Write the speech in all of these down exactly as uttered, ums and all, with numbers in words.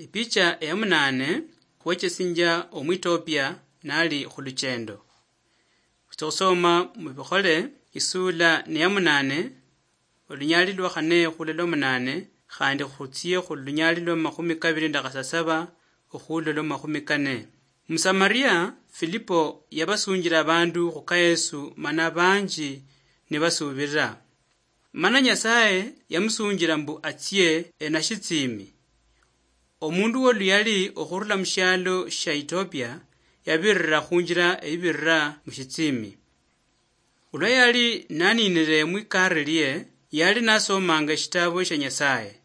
Epicha eya munane, khwechesinjia Omwitopia nali khuluchendo. Khutsia khusoma Mubikhole, isula ni ya munane, olunyali lwa khane khula lwa munane, khandi khutsie khulunyali lwa makhumi kabili nende khasasaba okhula lwa makhumi kane. Musamaria Filipo yabasunjila abandu khuka Yesu, mana banji nibasubirira. Mana Nyasaye yamusunjila mbu atsie enashitsimi. Omundu woluyali okhurula mushialo shia Ethiopia yabirira khunjila eyibirira mushitsimi. Olwa yali naninire mwikari lie, yali nasomanga eshitabo shia Nyasaye,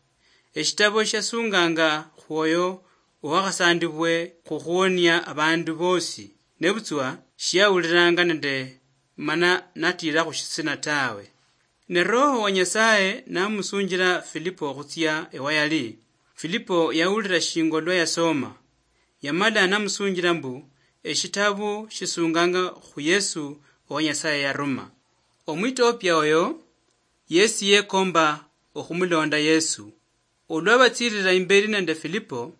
eshitabo shiasunganga khwoyo owakhasandibwe khukhuonia abandu bosi, nebutswa shiauliranga nende mana natira khushitsina tawe. Ne Roho wa Nyasaye namusunjila Filipo khutsia ewayali. Filipo yaulira shingo lwa yasoma, yamala namusunjila mbu eshitabu shisunganga khu Yesu owa Nyasaye yaruma. Omwitopia oyo yesi yekomba okhumulonda Yesu. Olwa batsirira imberi nende Filipo,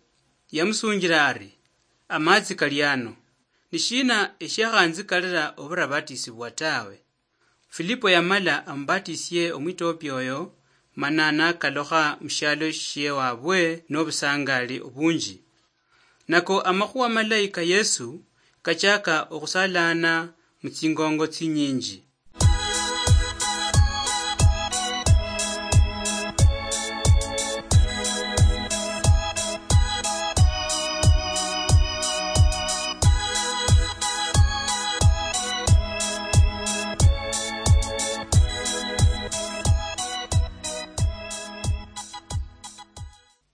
yamusunjila ari, "Amatsi kali ano. Nishina eshiakhanzikalira oburabatisibwa tawe?" Filipo yamala amubatisie Omwitopia oyo, mana nakalukha mushialo shiewabwe nobusangali obunji. Nako amakhuwa malayi ka Yesu kachaka okhusalana mutsingongo tsinyinji.